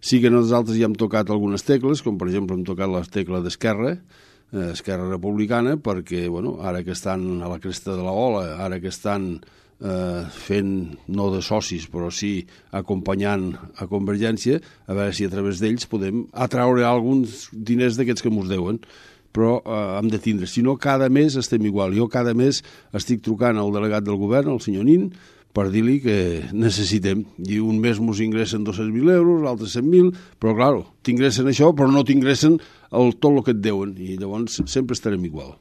Sí que nosaltres ja hem tocat algunes tecles, com per exemple hem tocat la tecla d'Esquerra, Esquerra Republicana, perquè ara que estan a la cresta de la ola, ara que estan fent, no de socis, però sí acompanyant a Convergència, a veure si a través d'ells podem atraure alguns diners d'aquests que mos deuen. Però hem de tindre, si no cada mes estem igual. Jo cada mes estic trucant al delegat del govern, el senyor Nin, per dir-li que necessitem. I un mes mos ingressen 200.000 euros, l'altre 100.000, però clar, t'ingressen això, però no t'ingressen tot el que et deuen, i llavors sempre estarem igual.